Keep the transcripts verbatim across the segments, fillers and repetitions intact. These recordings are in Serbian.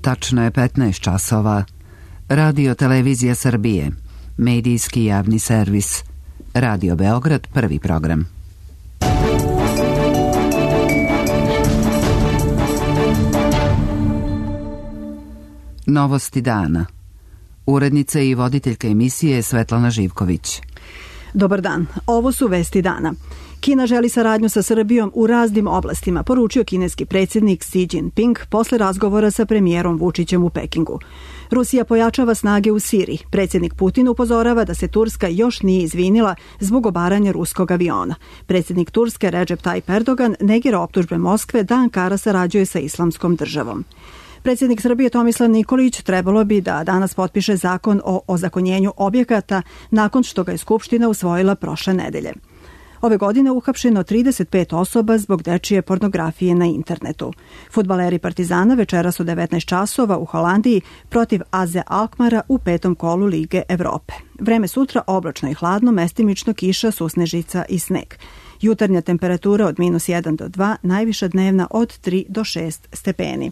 Tačno je petnaest časova. Radio Televizija Srbije, medijski javni servis. Radio Beograd, prvi program. Novosti dana. Urednica i voditeljka emisije Svetlana Živković. Dobar dan, ovo su vesti dana. Kina želi saradnju sa Srbijom u raznim oblastima, poručio kineski predsjednik Xi Jinping posle razgovora sa premijerom Vučićem u Pekingu. Rusija pojačava snage u Siriji. Predsjednik Putin upozorava da se Turska još nije izvinila zbog obaranja ruskog aviona. Predsjednik Turske Recep Tayyip Erdogan negira optužbe Moskve da Ankara sarađuje sa Islamskom državom. Predsjednik Srbije Tomislav Nikolić trebalo bi da danas potpiše zakon o ozakonjenju objekata nakon što ga je Skupština usvojila prošle nedelje. Ove godine uhapšeno trideset pet osoba zbog dečije pornografije na internetu. Fudbaleri Partizana večeras u devetnaest časova u Holandiji protiv A Z Alkmara u petom kolu Lige Evrope. Vreme sutra oblačno i hladno, mestimično kiša, susnežica i sneg. Jutarnja temperatura od minus jedan do dva, najviša dnevna od tri do šest stepeni.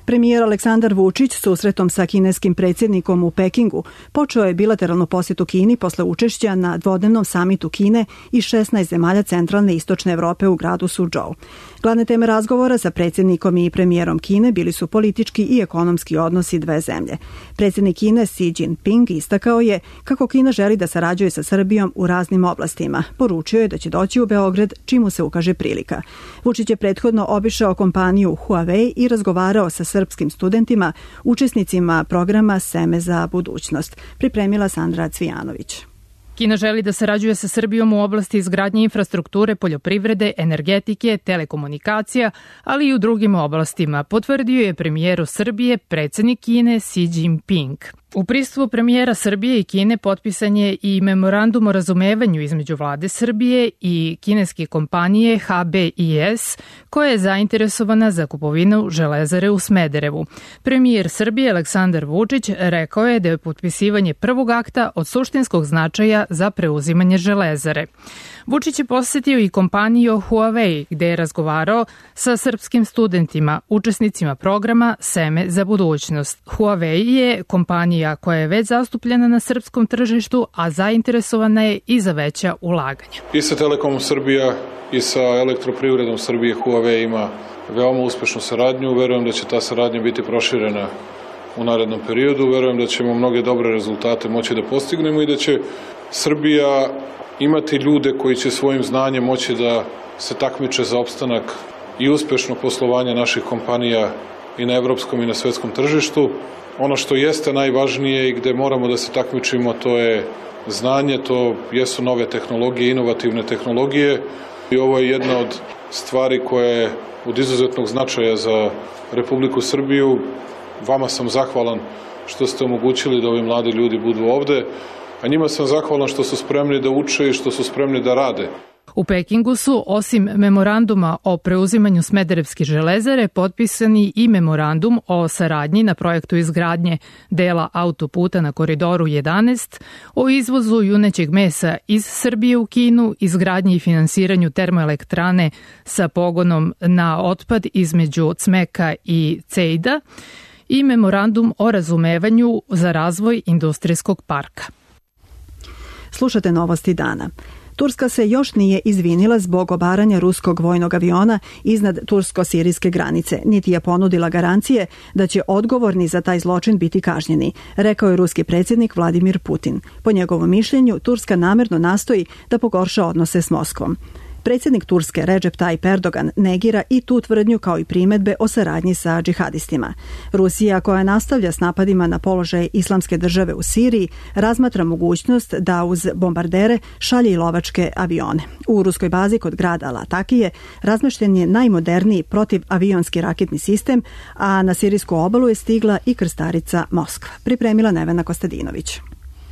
Premijer Aleksandar Vučić susretom sa kineskim predsjednikom u Pekingu počeo je bilateralnu posjetu Kini posle učešća na dvodnevnom samitu Kine i šesnaest zemalja centralne i istočne Evrope u gradu Suzhou. Glavne teme razgovora sa predsjednikom i premijerom Kine bili su politički i ekonomski odnosi dve zemlje. Predsjednik Kine Xi Jinping istakao je kako Kina želi da sarađuje sa Srbijom u raznim oblastima. Poručio je da će doći u Beograd čim mu se ukaže prilika. Vučić je prethodno obišao kompaniju Huawei i razgovarao sa srpskim studentima, učesnicima programa Seme za budućnost. Pripremila Sandra Cvijanović. Kina želi da sarađuje sa Srbijom u oblasti izgradnje infrastrukture, poljoprivrede, energetike, telekomunikacija, ali i u drugim oblastima, potvrdio je premijeru Srbije predsjednik Kine Xi Jinping. U prisustvu premijera Srbije i Kine potpisan je i memorandum o razumevanju između vlade Srbije i kineske kompanije H B I S, koja je zainteresovana za kupovinu železare u Smederevu. Premijer Srbije Aleksandar Vučić rekao je da je potpisivanje prvog akta od suštinskog značaja za preuzimanje železare. Vučić je posjetio i kompaniju Huawei, gde je razgovarao sa srpskim studentima, učesnicima programa Seme za budućnost. Huawei je kompanija koja je već zastupljena na srpskom tržištu, a zainteresovana je i za veća ulaganja. I sa Telekomom Srbija i sa Elektroprivredom Srbije Huawei ima veoma uspešnu saradnju. Verujem da će ta saradnja biti proširena u narednom periodu. Verujem da ćemo mnoge dobre rezultate moći da postignemo i da će Srbija imati ljude koji će svojim znanjem moći da se takmiče za opstanak i uspešno poslovanje naših kompanija i na evropskom i na svetskom tržištu. Ono što jeste najvažnije i gde moramo da se takmičimo, to je znanje, to jesu nove tehnologije, inovativne tehnologije i ovo je jedna od stvari koja je od izuzetnog značaja za Republiku Srbiju. Vama sam zahvalan što ste omogućili da ovi mladi ljudi budu ovde, a njima sam zahvalan što su spremni da uče i što su spremni da rade. U Pekingu su, osim memoranduma o preuzimanju Smederevske železare, potpisani i memorandum o saradnji na projektu izgradnje dela autoputa na Koridoru jedanaest, o izvozu junećeg mesa iz Srbije u Kinu, izgradnji i finansiranju termoelektrane sa pogonom na otpad između Cmeka i Cejda i memorandum o razumevanju za razvoj industrijskog parka. Slušate novosti dana. Turska se još nije izvinila zbog obaranja ruskog vojnog aviona iznad tursko-sirijske granice, niti je ponudila garancije da će odgovorni za taj zločin biti kažnjeni, rekao je ruski predsjednik Vladimir Putin. Po njegovom mišljenju, Turska namerno nastoji da pogorša odnose s Moskvom. Predsjednik Turske Recep Tayyip Erdogan negira i tu tvrdnju kao i primedbe o saradnji sa džihadistima. Rusija, koja nastavlja s napadima na položaj Islamske države u Siriji, razmatra mogućnost da uz bombardere šalje i lovačke avione. U ruskoj bazi kod grada Latakije razmešten je najmoderniji protivavionski raketni sistem, a na sirijsku obalu je stigla i krstarica Moskva. Pripremila Nevena Kostadinović.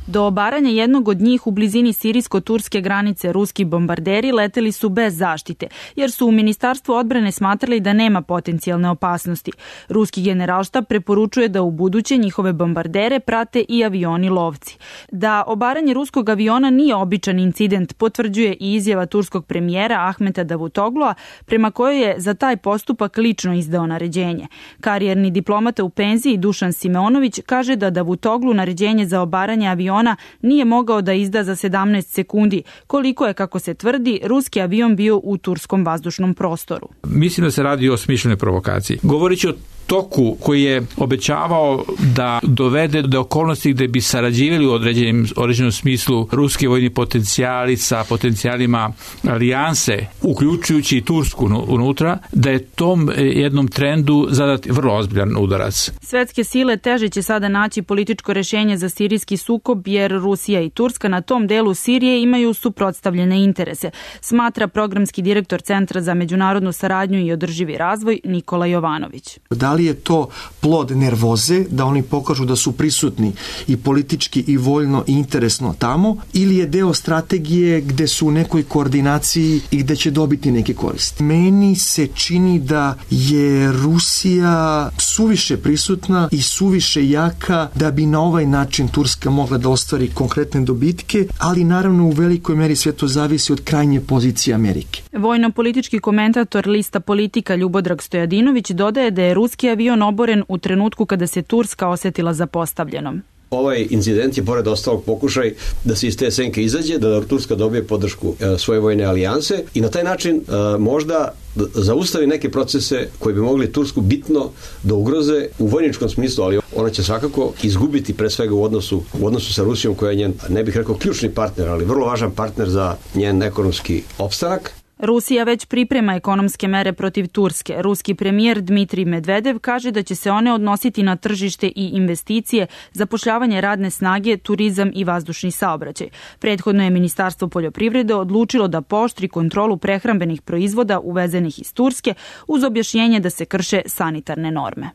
Do obaranja jednog od njih u blizini sirijsko-turske granice ruski bombarderi leteli su bez zaštite, jer su u Ministarstvu odbrane smatrali da nema potencijalne opasnosti. Ruski generalštab preporučuje da u buduće njihove bombardere prate i avioni lovci. Da obaranje ruskog aviona nije običan incident potvrđuje i izjava turskog premijera Ahmeta Davutoglu'a, prema kojoj je za taj postupak lično izdao naređenje. Karijerni diplomata u penziji Dušan Simeonović kaže da Davutoglu naređenje za obaranje aviona nije mogao da izda za sedamnaest sekundi, koliko je, kako se tvrdi, ruski avion bio u turskom vazdušnom prostoru. Mislim da se radi o smišljenoj provokaciji. Govorići o toku koji je obećavao da dovede do okolnosti gde bi sarađivali u određenim, određenom smislu ruski vojni potencijali sa potencijalima alijanse, uključujući i Tursku unutra, da je tom jednom trendu zadat vrlo ozbiljan udarac. Svetske sile teže će sada naći političko rešenje za sirijski sukob, jer Rusija i Turska na tom delu Sirije imaju suprotstavljene interese, smatra programski direktor Centra za međunarodnu saradnju i održivi razvoj Nikola Jovanović. Da li je to plod nervoze, da oni pokažu da su prisutni i politički i voljno i interesno tamo, ili je deo strategije gde su u nekoj koordinaciji i gde će dobiti neke koristi? Meni se čini da je Rusija suviše prisutna i suviše jaka da bi na ovaj način Turska mogla da ostvari konkretne dobitke, ali naravno u velikoj meri sve to zavisi od krajnje pozicije Amerike. Vojno-politički komentator lista Politika Ljubodrag Stojadinović dodaje da je ruski avion oboren u trenutku kada se Turska osetila zapostavljenom. Ovaj incident je pored ostalog pokušaj da se iz te senke izađe, da Turska dobije podršku svoje vojne alijanse i na taj način možda zaustavi neke procese koji bi mogli Tursku bitno da ugroze u vojničkom smislu, ali ona će svakako izgubiti pre svega u odnosu, u odnosu sa Rusijom, koja je njen, ne bih rekao ključni partner, ali vrlo važan partner za njen ekonomski opstanak. Rusija već priprema ekonomske mere protiv Turske. Ruski premijer Dmitrij Medvedev kaže da će se one odnositi na tržište i investicije, zapošljavanje radne snage, turizam i vazdušni saobraćaj. Prethodno je Ministarstvo poljoprivrede odlučilo da pooštri kontrolu prehrambenih proizvoda uvezenih iz Turske uz objašnjenje da se krše sanitarne norme.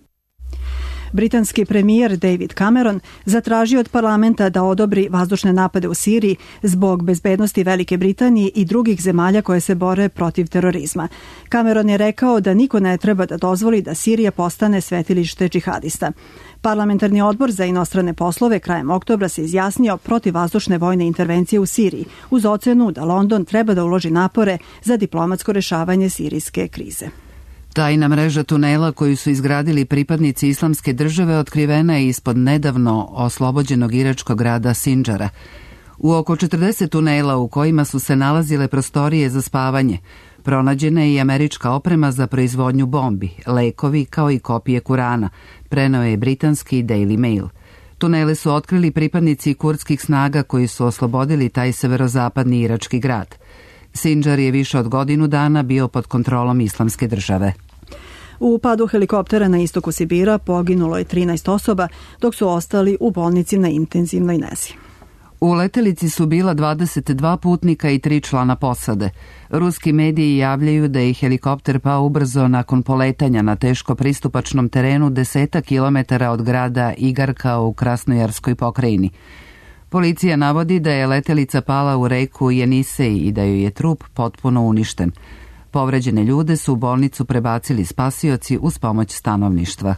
Britanski premijer David Cameron zatražio od parlamenta da odobri vazdušne napade u Siriji zbog bezbednosti Velike Britanije i drugih zemalja koje se bore protiv terorizma. Cameron je rekao da niko ne treba da dozvoli da Sirija postane svetilište džihadista. Parlamentarni odbor za inostrane poslove krajem oktobra se izjasnio protiv vazdušne vojne intervencije u Siriji, uz ocenu da London treba da uloži napore za diplomatsko rešavanje sirijske krize. Tajna mreža tunela koju su izgradili pripadnici Islamske države otkrivena je ispod nedavno oslobođenog iračkog grada Sindžara. U oko četrdeset tunela u kojima su se nalazile prostorije za spavanje, pronađena je i američka oprema za proizvodnju bombi, lekovi kao i kopije Kurana, preneo je britanski Daily Mail. Tunele su otkrili pripadnici kurdskih snaga koji su oslobodili taj severozapadni irački grad. Sindžar je više od godinu dana bio pod kontrolom Islamske države. U padu helikoptera na istoku Sibira poginulo je trinaest osoba, dok su ostali u bolnici na intenzivnoj nezi. U letelici su bila dvadeset dva putnika i tri člana posade. Ruski mediji javljaju da je helikopter pao ubrzo nakon poletanja na teško pristupačnom terenu desetak kilometara od grada Igarka u Krasnojarskoj pokrajini. Policija navodi da je letelica pala u reku Jenisej i da joj je trup potpuno uništen. Povređene ljude su u bolnicu prebacili spasioci uz pomoć stanovništva.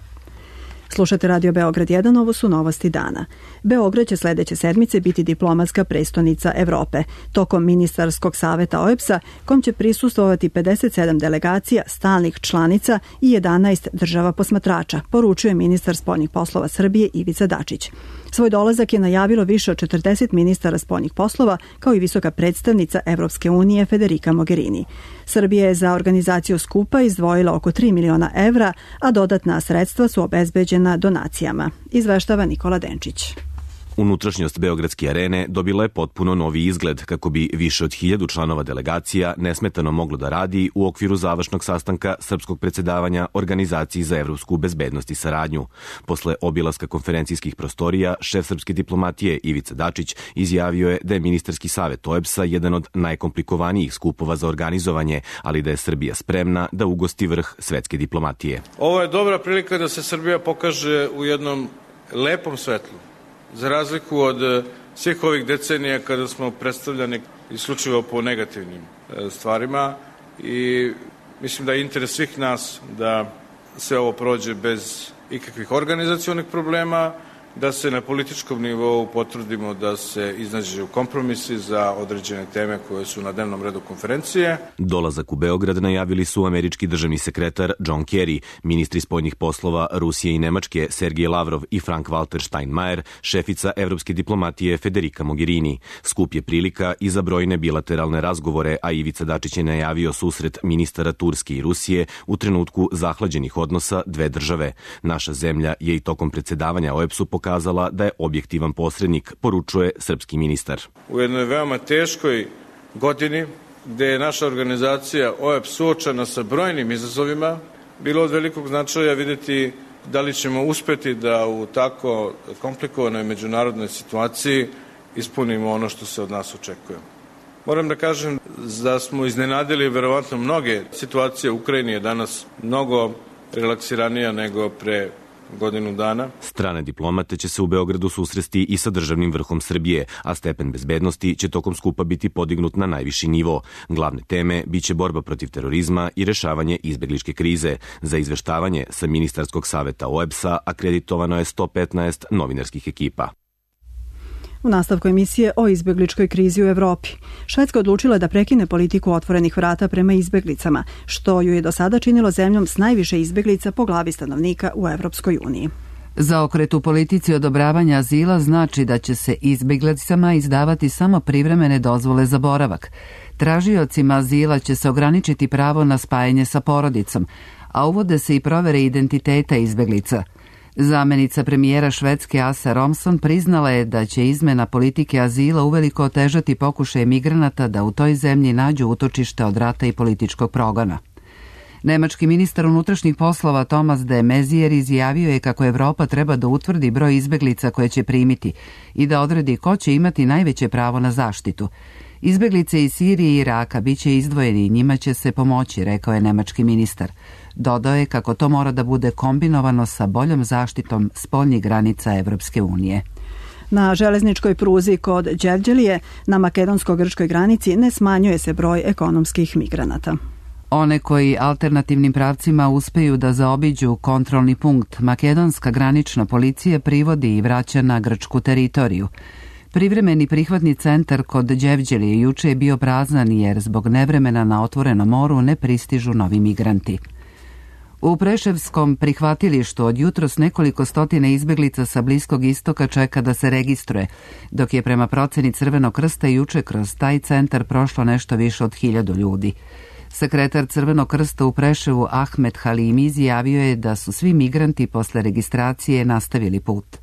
Slušate Radio Beograd jedan, ovo su novosti dana. Beograd će sledeće sedmice biti diplomatska prestonica Evrope. Tokom ministarskog saveta O E B S-a, kom će prisustvovati pedeset sedam delegacija, stalnih članica i jedanaest država posmatrača, poručuje ministar spoljnih poslova Srbije Ivica Dačić. Svoj dolazak je najavilo više od četrdeset ministara spoljnih poslova, kao i visoka predstavnica Evropske unije Federica Mogherini. Srbija je za organizaciju skupa izdvojila oko tri miliona evra, a dodatna sredstva su obezbeđena donacijama, izveštava Nikola Denčić. Unutrašnjost Beogradske arene dobila je potpuno novi izgled kako bi više od hiljadu članova delegacija nesmetano moglo da radi u okviru završnog sastanka srpskog predsedavanja Organizaciji za evropsku bezbednost i saradnju. Posle obilaska konferencijskih prostorija, šef srpske diplomatije Ivica Dačić izjavio je da je ministarski savet O E B S-a jedan od najkomplikovanijih skupova za organizovanje, ali da je Srbija spremna da ugosti vrh svetske diplomatije. Ovo je dobra prilika da se Srbija pokaže u jednom lepom svetlu. Za razliku od svih ovih decenija kada smo predstavljani isključivo po negativnim stvarima i mislim da je interes svih nas da sve ovo prođe bez ikakvih organizacionih problema, da se na političkom nivou potrudimo da se iznađu kompromisi za određene teme koje su na dnevnom redu konferencije. Dolazak u Beograd najavili su američki državni sekretar John Kerry, ministri spoljnih poslova Rusije i Nemačke Sergej Lavrov i Frank-Walter Steinmeier, šefica evropske diplomatije Federica Mogherini. Skup je prilika i za brojne bilateralne razgovore, a Ivica Dačić je najavio susret ministara Turske i Rusije u trenutku zahlađenih odnosa dve države. Naša zemlja je i tokom predsedavanja O E B S-u pokazala pokazala da je objektivan posrednik, poručuje srpski ministar. U jednoj veoma teškoj godini, gde je naša organizacija O E B S suočena sa brojnim izazovima, bilo od velikog značaja videti da li ćemo uspeti da u tako komplikovanoj međunarodnoj situaciji ispunimo ono što se od nas očekuje. Moram da kažem da smo iznenadili verovatno mnoge situacije. U Ukrajini je danas mnogo relaksiranija nego pre godinu dana. Strane diplomate će se u Beogradu susresti i sa državnim vrhom Srbije, a stepen bezbednosti će tokom skupa biti podignut na najviši nivo. Glavne teme biće borba protiv terorizma i rešavanje izbegličke krize. Za izveštavanje sa Ministarskog saveta O E B S-a akreditovano je sto petnaest novinarskih ekipa. U nastavku emisije o izbegličkoj krizi u Evropi. Švedska odlučila da prekine politiku otvorenih vrata prema izbeglicama, što ju je do sada činilo zemljom s najviše izbeglica po glavi stanovnika u Evropskoj uniji. Zaokret u politici odobravanja azila znači da će se izbeglicama izdavati samo privremene dozvole za boravak. Tražiocima azila će se ograničiti pravo na spajanje sa porodicom, a uvode se i provere identiteta izbeglica. Zamenica premijera Švedske Asa Romson priznala je da će izmena politike azila uveliko otežati pokušaje migranata da u toj zemlji nađu utočište od rata i političkog progona. Nemački ministar unutrašnjih poslova Thomas de Maizière izjavio je kako Evropa treba da utvrdi broj izbeglica koje će primiti i da odredi ko će imati najveće pravo na zaštitu. Izbeglice iz Sirije i Iraka biće izdvojeni i njima će se pomoći, rekao je nemački ministar. Dodao je kako to mora da bude kombinovano sa boljom zaštitom spoljnih granica Evropske unije. Na železničkoj pruzi kod Đevđelije na makedonsko-grčkoj granici ne smanjuje se broj ekonomskih migranata. One koji alternativnim pravcima uspeju da zaobiđu kontrolni punkt, makedonska granična policija privodi i vraća na grčku teritoriju. Privremeni prihvatni centar kod Đevđelije juče je bio prazan jer zbog nevremena na otvorenom moru ne pristižu novi migranti. U Preševskom prihvatilištu od jutros nekoliko stotine izbeglica sa Bliskog istoka čeka da se registruje, dok je prema proceni Crvenog krsta juče kroz taj centar prošlo nešto više od hiljadu ljudi. Sekretar Crvenog krsta u Preševu Ahmed Halimi izjavio je da su svi migranti posle registracije nastavili put.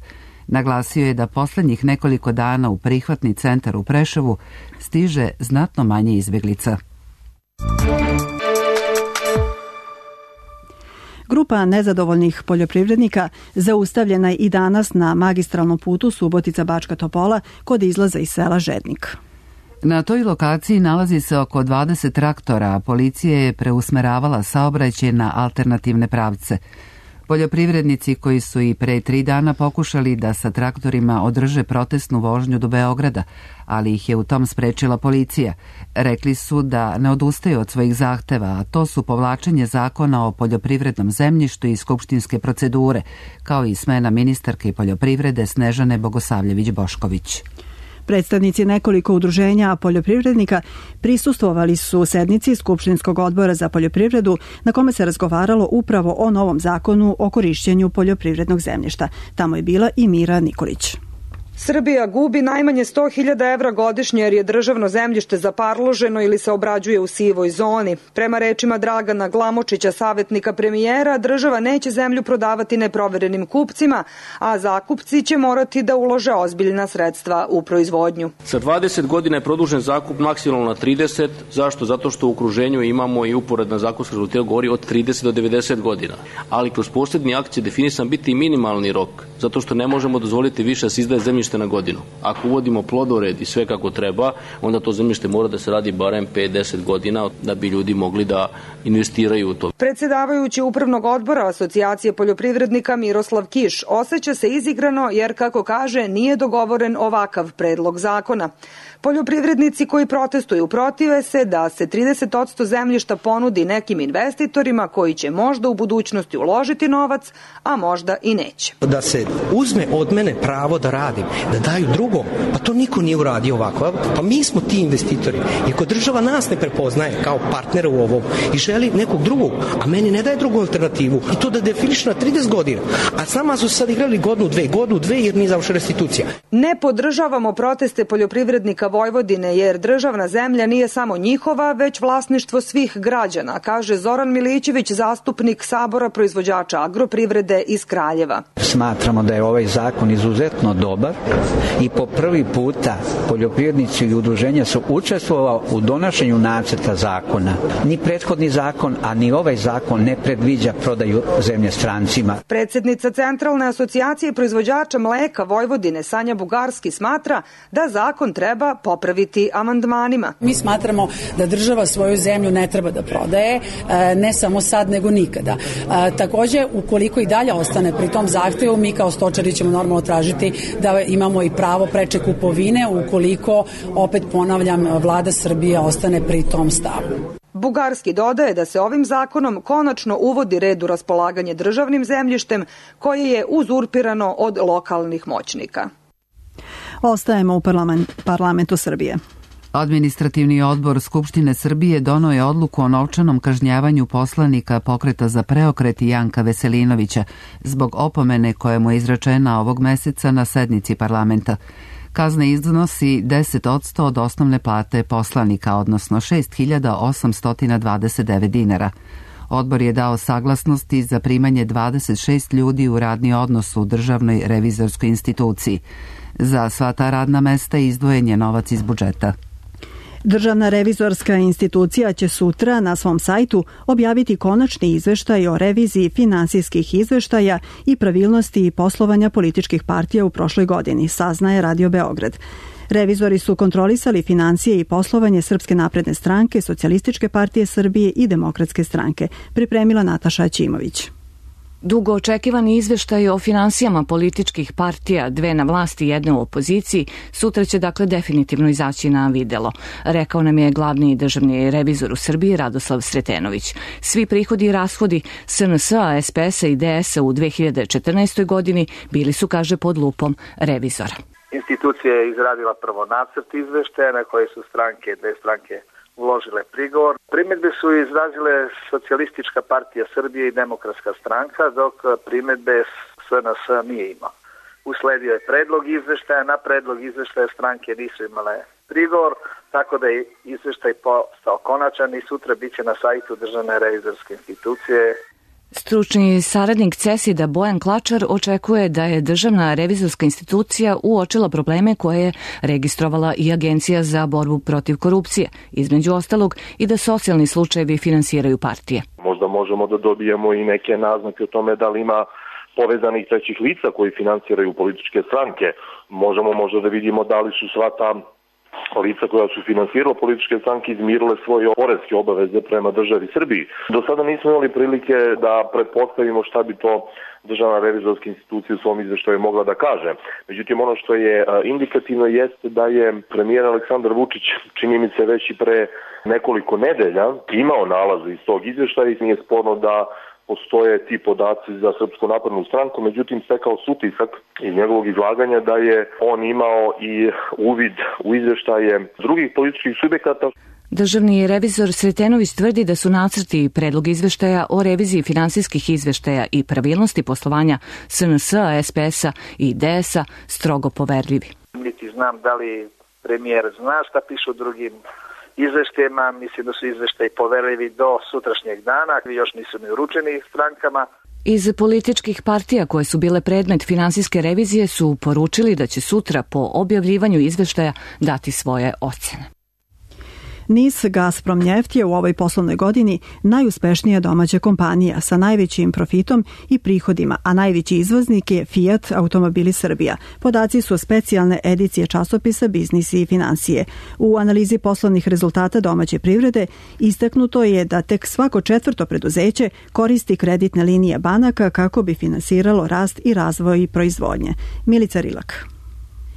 Naglasio je da poslednjih nekoliko dana u prihvatni centar u Preševu stiže znatno manje izbeglica. Grupa nezadovoljnih poljoprivrednika zaustavljena je i danas na magistralnom putu Subotica-Bačka Topola kod izlaza iz sela Žednik. Na toj lokaciji nalazi se oko dvadeset traktora, a policija je preusmeravala saobraćaj na alternativne pravce. Poljoprivrednici koji su i pre tri dana pokušali da sa traktorima održe protestnu vožnju do Beograda, ali ih je u tom sprečila policija. Rekli su da ne odustaju od svojih zahteva, a to su povlačenje zakona o poljoprivrednom zemljištu i skupštinske procedure, kao i smena ministarke poljoprivrede Snežane Bogosavljević-Bošković. Predstavnici nekoliko udruženja poljoprivrednika prisustvovali su sednici Skupštinskog odbora za poljoprivredu na kome se razgovaralo upravo o novom zakonu o korišćenju poljoprivrednog zemljišta. Tamo je bila i Mira Nikolić. Srbija gubi najmanje sto hiljada evra godišnje jer je državno zemljište zaparloženo ili se obrađuje u sivoj zoni. Prema rečima Dragana Glamočića, savjetnika premijera, država neće zemlju prodavati neproverenim kupcima, a zakupci će morati da ulože ozbiljna sredstva u proizvodnju. Sa dvadeset godina je produžen zakup maksimalno na trideset. Zašto? Zato što u okruženju imamo i uporedna zakonska regulativa govori od trideset do devedeset godina. Ali kroz posebni akt će definisan biti i minimalni rok, zato što ne možemo dozvoliti više da se izdaje zemljište zemljište na godinu. Ako uvodimo plodored i sve kako treba, onda to zemljište mora da se radi barem pet do deset godina da bi ljudi mogli da investiraju u to. Predsedavajući upravnog odbora Asocijacije poljoprivrednika Miroslav Kiš osjeća se izigrano jer, kako kaže, nije dogovoren ovakav predlog zakona. Poljoprivrednici koji protestuju protive se da se trideset posto zemljišta ponudi nekim investitorima koji će možda u budućnosti uložiti novac, a možda i neće. Da se uzme od mene pravo da radim, da daju drugom, pa to niko nije uradio ovako. Pa mi smo ti investitori. I ako država nas ne prepoznaje kao partnera u ovom i želi nekog drugog, a meni ne daje drugu alternativu, i to da definiše na trideset godina, a sama su sad igrali godinu, dve, godinu, dve jer nije završena restitucija. Ne podržavamo proteste poljoprivrednika Vojvodine jer državna zemlja nije samo njihova, već vlasništvo svih građana, kaže Zoran Milićević, zastupnik Sabora proizvođača agroprivrede iz Kraljeva. Smatramo da je ovaj zakon izuzetno dobar i po prvi puta poljoprivrednici i udruženja su učestvovali u donošenju nacrta zakona. Ni prethodni zakon, a ni ovaj zakon ne predviđa prodaju zemlje strancima. Predsjednica Centralne asocijacije proizvođača mleka Vojvodine Sanja Bugarski smatra da zakon treba popraviti amandmanima. Mi smatramo da država svoju zemlju ne treba da prodaje, ne samo sad nego nikada. Takođe, ukoliko i dalje ostane pri tom zahtevu, mi kao stočari ćemo normalno tražiti da imamo i pravo preče kupovine ukoliko, opet ponavljam, vlada Srbije ostane pri tom stavu. Bugarski dodaje da se ovim zakonom konačno uvodi red u raspolaganje državnim zemljištem koje je uzurpirano od lokalnih moćnika. Ostajemo u parlament, parlamentu Srbije. Administrativni odbor Skupštine Srbije doneo je odluku o novčanom kažnjavanju poslanika Pokreta za preokret Janka Veselinovića zbog opomene koja mu je izrečena ovog meseca na sednici parlamenta. Kazna iznosi deset posto od osnovne plate poslanika, odnosno šest hiljada osamsto dvadeset devet dinara. Odbor je dao saglasnosti za primanje dvadeset šest ljudi u radni odnos u državnoj revizorskoj instituciji. Za sva ta radna mesta izdvojen je novac iz budžeta. Državna revizorska institucija će sutra na svom sajtu objaviti konačni izveštaj o reviziji finansijskih izveštaja i pravilnosti poslovanja političkih partija u prošloj godini, saznaje Radio Beograd. Revizori su kontrolisali financije i poslovanje Srpske napredne stranke, Socijalističke partije Srbije i Demokratske stranke, pripremila Nataša Ćimović. Dugo očekivani izveštaj o finansijama političkih partija, dve na vlasti i jedne u opoziciji, sutra će dakle definitivno izaći na videlo, rekao nam je glavni državni revizor u Srbiji Radoslav Sretenović. Svi prihodi i rashodi S N S-a, S P S-a i D S-a u dve hiljade četrnaestoj. godini bili su, kaže, pod lupom revizora. Institucija je izradila prvo nacrt izveštaja na koje su stranke, dve stranke uložile prigovor. Primedbe su izrazile Socijalistička partija Srbije i Demokratska stranka, dok primedbe S N S nije imao. Usledio je predlog izveštaja, na predlog izveštaja stranke nisu imale prigovor, tako da je izveštaj postao konačan i sutra biće na sajtu Državne revizorske institucije. Stručni saradnik CESID-a Bojan Klačar očekuje da je Državna revizorska institucija uočila probleme koje je registrovala i Agencija za borbu protiv korupcije, između ostalog i da socijalni slučajevi finansiraju partije. Možda možemo da dobijemo i neke naznake o tome da li ima povezanih trećih lica koji finansiraju političke stranke. Možemo možda da vidimo da li su sva ta lica koja su finansirala političke stranke izmirile svoje poreske obaveze prema državi Srbiji. Do sada nismo imali prilike da pretpostavimo šta bi to Državna revizorska institucija u svom izveštaju mogla da kaže. Međutim, ono što je indikativno jeste da je premijer Aleksandar Vučić, čini mi se već i pre nekoliko nedelja, imao nalaze iz tog izveštaja i nije sporno da postoje ti podaci za Srpsku naprednu stranku, međutim stekao se utisak iz njegovog izlaganja da je on imao i uvid u izveštaje drugih političkih subjekata. Državni revizor Sretenović tvrdi da su nacrti i predlog izveštaja o reviziji finansijskih izveštaja i pravilnosti poslovanja S N S-a, S P S-a i D S-a strogo poverljivi. Niti znam da li premijer zna šta piše u drugim izveštajima, mislim da su izveštaji poverljivi do sutrašnjeg dana, još nisu ni uručeni strankama. Iz političkih partija koje su bile predmet finansijske revizije su poručili da će sutra po objavljivanju izveštaja dati svoje ocene. NIS Gazprom Njeft je u ovoj poslovnoj godini najuspešnija domaća kompanija sa najvećim profitom i prihodima, a najveći izvoznik je Fiat Automobili Srbija. Podaci su specijalne edicije časopisa Biznis i financije. U analizi poslovnih rezultata domaće privrede istaknuto je da tek svako četvrto preduzeće koristi kreditne linije banaka kako bi finansiralo rast i razvoj proizvodnje. Milica Rilak.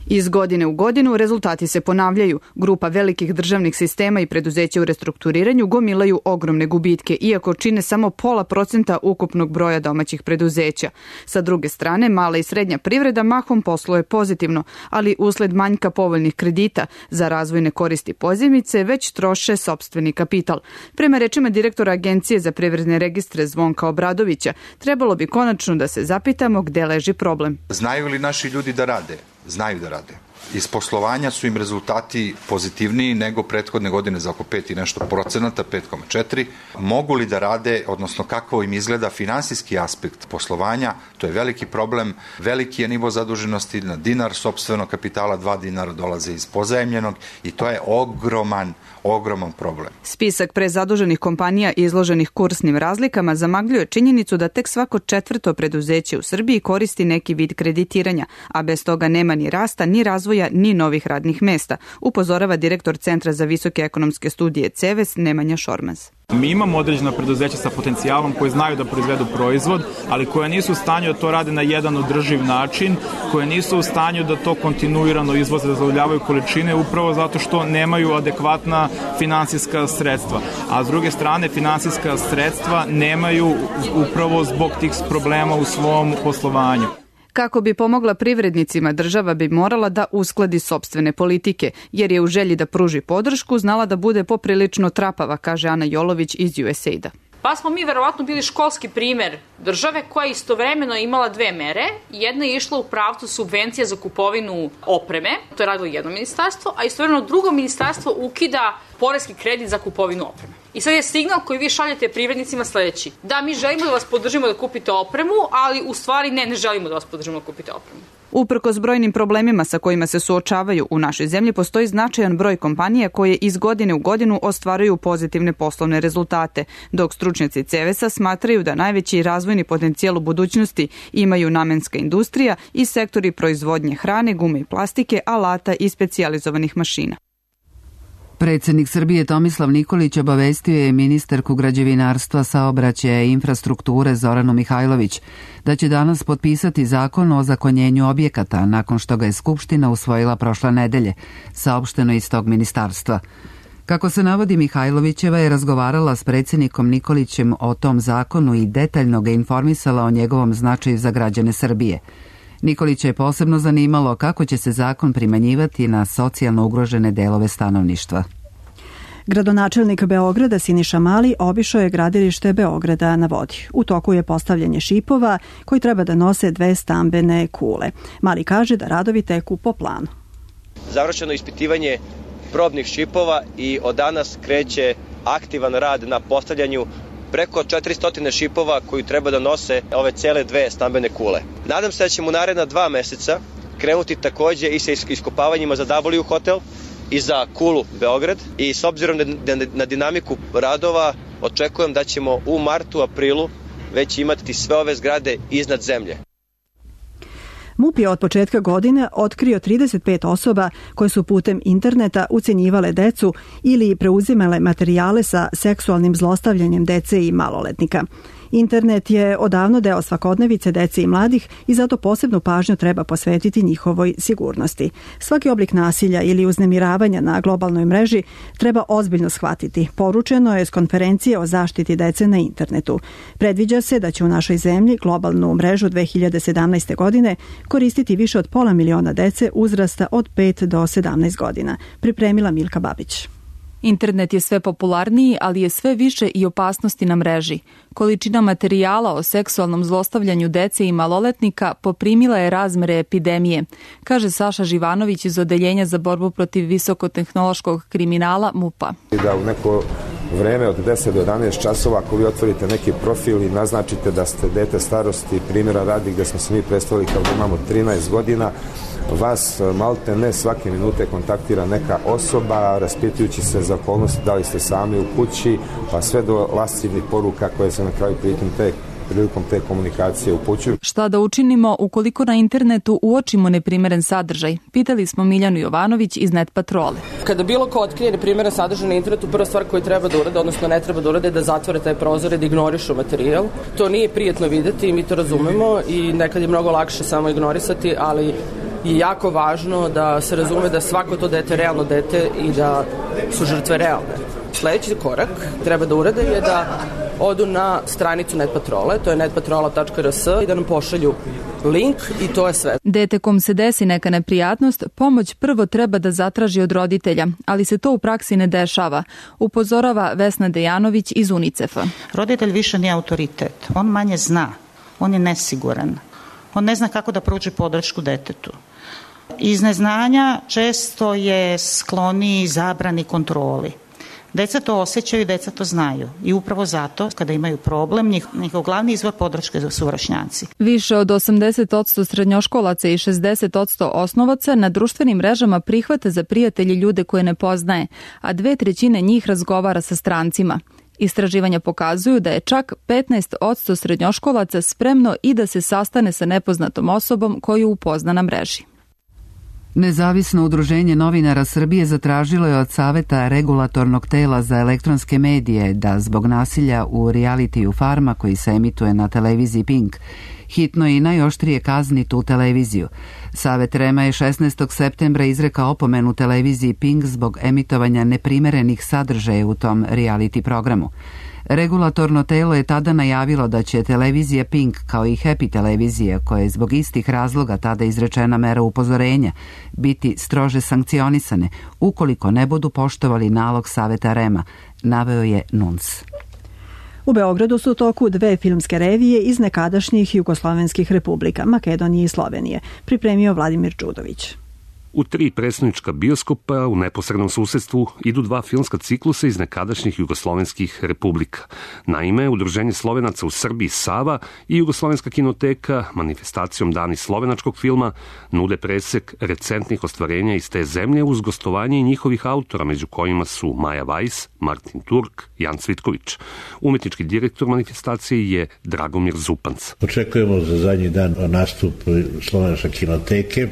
Iz godine u godinu rezultati se ponavljaju. Grupa velikih državnih sistema i preduzeća u restrukturiranju gomilaju ogromne gubitke, iako čine samo pola procenta ukupnog broja domaćih preduzeća. Sa druge strane, mala i srednja privreda mahom posluje pozitivno, ali usled manjka povoljnih kredita za razvojne koristi pozajmice već troše sopstveni kapital. Prema rečima direktora Agencije za privredne registre Zvonka Obradovića, trebalo bi konačno da se zapitamo gde leži problem. Znaju li naši ljudi da rade? Znaju da rade. Iz poslovanja su im rezultati pozitivniji nego prethodne godine za oko pet i nešto procenata, pet zarez četiri. Mogu li da rade, odnosno kako im izgleda finansijski aspekt poslovanja, to je veliki problem. Veliki je nivo zaduženosti na dinar sopstvenog kapitala, dva dinara dolaze iz pozajemljenog i to je ogroman, ogroman problem. Spisak prezaduženih kompanija izloženih kursnim razlikama zamagljuje činjenicu da tek svako četvrto preduzeće u Srbiji koristi neki vid kreditiranja, a bez toga nema ni rasta, ni razvoja, ni novih radnih mesta, upozorava direktor Centra za visoke ekonomske studije CEVES Nemanja Šormaz. Mi imamo određena preduzeća sa potencijalom koji znaju da proizvedu proizvod, ali koje nisu u stanju da to rade na jedan održiv način, koje nisu u stanju da to kontinuirano izvoze, da zadovoljavaju količine upravo zato što nemaju adekvatna finansijska sredstva. A s druge strane, finansijska sredstva nemaju upravo zbog tih problema u svom poslovanju. Kako bi pomogla privrednicima, država bi morala da uskladi sopstvene politike, jer je u želji da pruži podršku znala da bude poprilično trapava, kaže Ana Jolović iz U S A I D-a. Pa smo mi verovatno bili školski primer države koja je istovremeno imala dve mere. Jedna je išla u pravcu subvencija za kupovinu opreme, to je radilo jedno ministarstvo, a istovremeno drugo ministarstvo ukida poreski kredit za kupovinu opreme. I sad je signal koji vi šaljete privrednicima sledeći. Da, mi želimo da vas podržimo da kupite opremu, ali u stvari ne, ne želimo da vas podržimo da kupite opremu. Uprkos brojnim problemima sa kojima se suočavaju u našoj zemlji, postoji značajan broj kompanija koje iz godine u godinu ostvaruju pozitivne poslovne rezultate, dok stručnjaci CEVES-a smatraju da najveći razvojni potencijal u budućnosti imaju namenska industrija i sektori proizvodnje hrane, gume i plastike, alata i specijalizovanih mašina. Predsednik Srbije Tomislav Nikolić obavestio je ministarku građevinarstva, saobraćaja i infrastrukture Zoranu Mihajlović da će danas potpisati zakon o zakonjenju objekata nakon što ga je Skupština usvojila prošle nedelje, saopšteno iz tog ministarstva. Kako se navodi, Mihajlovićeva je razgovarala s predsednikom Nikolićem o tom zakonu i detaljno ga informisala o njegovom značaju za građane Srbije. Nikolića je posebno zanimalo kako će se zakon primenjivati na socijalno ugrožene delove stanovništva. Gradonačelnik Beograda Siniša Mali obišao je gradilište Beograda na vodi. U toku je postavljanje šipova koji treba da nose dve stambene kule. Mali kaže da radovi teku po planu. Završeno ispitivanje probnih šipova i od danas kreće aktivan rad na postavljanju preko četiristo šipova koji treba da nose ove cele dve stambene kule. Nadam se da ćemo u naredna dva meseca krenuti takođe i sa iskopavanjima za W hotel i za kulu Beograd i s obzirom na dinamiku radova očekujem da ćemo u martu, aprilu već imati sve ove zgrade iznad zemlje. MUP je od početka godine otkrio trideset pet osoba koje su putem interneta ucenjivale decu ili preuzimale materijale sa seksualnim zlostavljanjem dece i maloletnika. Internet je odavno deo svakodnevice dece i mladih i zato posebnu pažnju treba posvetiti njihovoj sigurnosti. Svaki oblik nasilja ili uznemiravanja na globalnoj mreži treba ozbiljno shvatiti. Poručeno je s konferencije o zaštiti dece na internetu. Predviđa se da će u našoj zemlji globalnu mrežu dve hiljade sedamnaeste. godine koristiti više od pola miliona dece uzrasta od pet do sedamnaest godina. Pripremila Milka Babić. Internet je sve popularniji, ali je sve više i opasnosti na mreži. Količina materijala o seksualnom zlostavljanju dece i maloletnika poprimila je razmere epidemije, kaže Saša Živanović iz Odeljenja za borbu protiv visokotehnološkog kriminala MUP-a. Da u neko vreme od deset do jedanaest časova ako vi otvorite neki profil i naznačite da ste dete starosti, primjera radi gde smo se mi predstavili kao da imamo trinaest godina, vas malte ne svake minute kontaktira neka osoba raspitujući se za okolnosti da li ste sami u kući, pa sve do lascivnih poruka koje se na kraju prilikom te prilikom te komunikacije upućuju. Šta da učinimo ukoliko na internetu uočimo neprimeren sadržaj? Pitali smo Miljanu Jovanović iz Net Patrole. Kada bilo ko otkrije neprimeren sadržaj na internetu, prva stvar koju treba da urade, odnosno ne treba da urade, je da zatvore taj prozor i da ignorišu materijal. To nije prijetno videti i mi to razumemo i nekad je mnogo lakše samo ignorisati, ali je jako važno da se razume da svako to dete je realno dete i da su žrtve realne. Sledeći korak treba da urade je da odu na stranicu Net Patrole, to je net patrola tačka r s, i da nam pošalju link i to je sve. Dete kom se desi neka neprijatnost, pomoć prvo treba da zatraži od roditelja, ali se to u praksi ne dešava, upozorava Vesna Dejanović iz UNICEF-a. Roditelj više nije autoritet, on manje zna, on je nesiguran, on ne zna kako da pruži podršku detetu. Iz neznanja često je skloni zabrani kontroli. Deca to osjećaju i deca to znaju i upravo zato kada imaju problem njihov glavni izvor podrške su vršnjaci. Više od osamdeset posto srednjoškolaca i šezdeset posto osnovaca na društvenim mrežama prihvata za prijatelji ljude koje ne poznaje, a dve trećine njih razgovara sa strancima. Istraživanja pokazuju da je čak petnaest posto srednjoškolaca spremno i da se sastane sa nepoznatom osobom koju upozna na mreži. Nezavisno udruženje novinara Srbije zatražilo je od Saveta regulatornog tela za elektronske medije da zbog nasilja u realitiju Farma koji se emituje na televiziji Pink hitno i najoštrije kazni tu televiziju. Savet REM-a je šesnaestog septembra izrekao opomenu televiziji Pink zbog emitovanja neprimerenih sadržaja u tom reality programu. Regulatorno telo je tada najavilo da će televizija Pink, kao i Happy televizija, koja je zbog istih razloga tada izrečena mera upozorenja, biti strože sankcionisane ukoliko ne budu poštovali nalog Saveta REM-a, naveo je N U N S. U Beogradu su u toku dve filmske revije iz nekadašnjih jugoslovenskih republika, Makedonije i Slovenije, pripremio Vladimir Đudović. U tri predstavnička bioskopa u neposrednom susedstvu idu dva filmska ciklusa iz nekadašnjih jugoslovenskih republika. Naime, Udruženje Slovenaca u Srbiji Sava i Jugoslovenska kinoteka manifestacijom Dani slovenačkog filma nude presek recentnih ostvarenja iz te zemlje uz gostovanje i njihovih autora, među kojima su Maja Vajs, Martin Turk, Jan Cvitković. Umetnički direktor manifestacije je Dragomir Zupanc. Očekujemo za zadnji dan nastup Slovenačke kinoteke.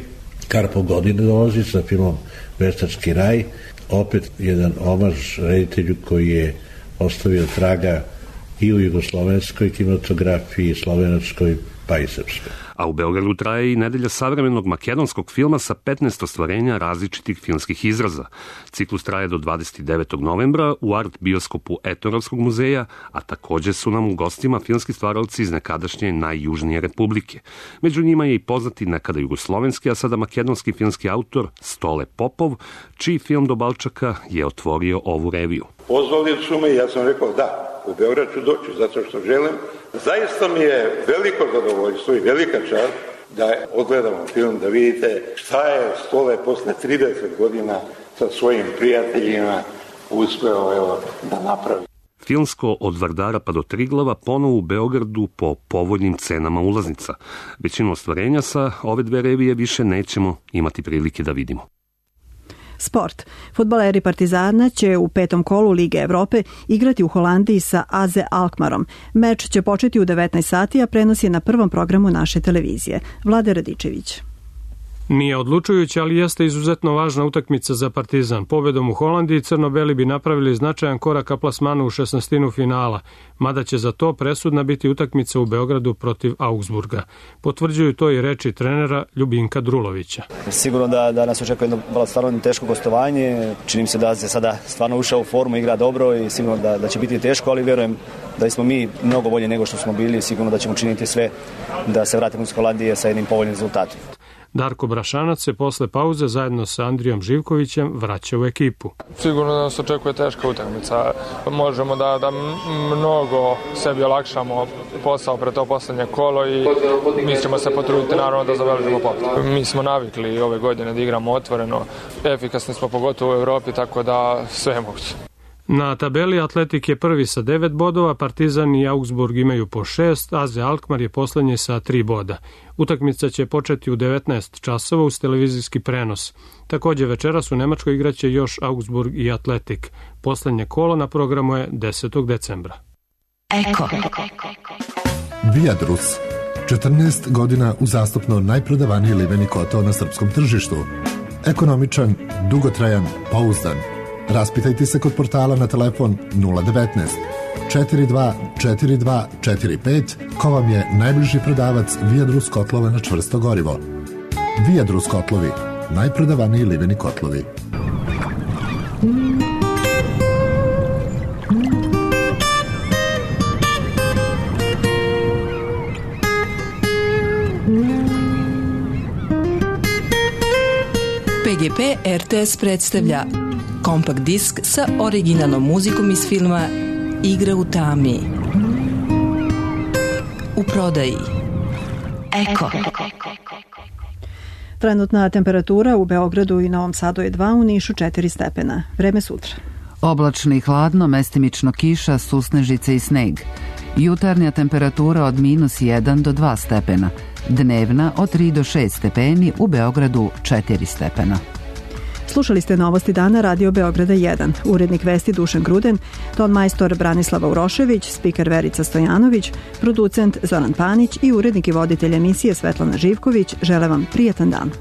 Karpo godine dolazi sa filmom Veštački raj, opet jedan omaž reditelju koji je ostavio traga i u jugoslovenskoj kinematografiji, slovenačkoj pa i srpskoj. A u Beogradu traje i nedelja savremenog makedonskog filma sa petnaest ostvarenja različitih filmskih izraza. Ciklus traje do dvadeset devetog novembra u art bioskopu Etnografskog muzeja, a takođe su nam u gostima filmski stvaralci iz nekadašnje najjužnije republike. Među njima je i poznati nekada jugoslovenski, a sada makedonski filmski autor Stole Popov, čiji film Do Balčaka je otvorio ovu reviju. Pozvali su me i ja sam rekao da, u Beograd ću doći zato što želim. Zaista mi je veliko zadovoljstvo i velika čast da odgledamo film, da vidite šta je Stole posle trideset godina sa svojim prijateljima uspeo evo, da napravi. Filmsko od Vardara pa do Triglava ponovo u Beogradu po povoljnim cenama ulaznica. Većinu ostvarenja sa ove dve revije više nećemo imati prilike da vidimo. Sport. Fudbaleri Partizana će u petom kolu Lige Evrope igrati u Holandiji sa A Z Alkmarom. Meč će početi u devetnaest sati, a prenos je na prvom programu naše televizije. Vlade Radičević. Nije odlučujuća, ali jeste izuzetno važna utakmica za Partizan. Pobedom u Holandiji crno-beli bi napravili značajan korak ka plasmanu u šesnaestinu finala, mada će za to presudna biti utakmica u Beogradu protiv Augsburga. Potvrđuju to i reči trenera Ljubinka Drulovića. Sigurno da, da nas očekuje jedno stvarno teško gostovanje. Činim se da se sada stvarno ušao u formu, igra dobro i sigurno da, da će biti teško, ali verujem da smo mi mnogo bolje nego što smo bili. Sigurno da ćemo činiti sve da se vratimo iz Holandije sa jednim povoljnim rezultatom. Darko Brašanac se posle pauze zajedno sa Andrijom Živkovićem vraća u ekipu. Sigurno da nas očekuje teška utakmica. Možemo da, da mnogo sebi olakšamo posao pre to poslednje kolo i mi ćemo se potruditi naravno da zabeležimo pobjedu. Mi smo navikli ove godine da igramo otvoreno, efikasni smo pogotovo u Evropi, tako da sve je moguće. Na tabeli Atletik je prvi sa devet bodova, Partizan i Augsburg imaju po šest, A Z Alkmaar je poslednji sa tri boda. Utakmica će početi u devetnaest časova uz televizijski prenos. Takođe večeras u Nemačkoj igraće još Augsburg i Atletik. Poslednje kolo na programu je desetog decembra. Eko. Viadrus. četrnaest godina uzastopno najprodavaniji liveni kotao na srpskom tržištu. Ekonomičan, dugotrajan, pouzdan. Raspitajte se kod portala na telefon nula devetnaest četiri dva četiri dva četiri pet ko vam je najbliži prodavac Viadrus kotlova na čvrsto gorivo. Viadrus kotlovi, najprodavaniji liveni kotlovi. P G P R T S predstavlja kompakt disk sa originalnom muzikom iz filma Igra u tami. U prodaji. Eko. Trenutna temperatura u Beogradu i Novom Sadu je dva, u Nišu četiri stepena. Vreme sutra. Oblačno i hladno, mestimično kiša, susnežice i sneg. Jutarnja temperatura od minus jedan do dva stepena. Dnevna od tri do šest stepeni, u Beogradu četiri stepena. Slušali ste Novosti dana Radio Beograda jedan. Urednik vesti Dušan Gruden, ton majstor Branislava Urošević, spiker Verica Stojanović, producent Zoran Panić i urednik i voditelj emisije Svetlana Živković žele vam prijatan dan.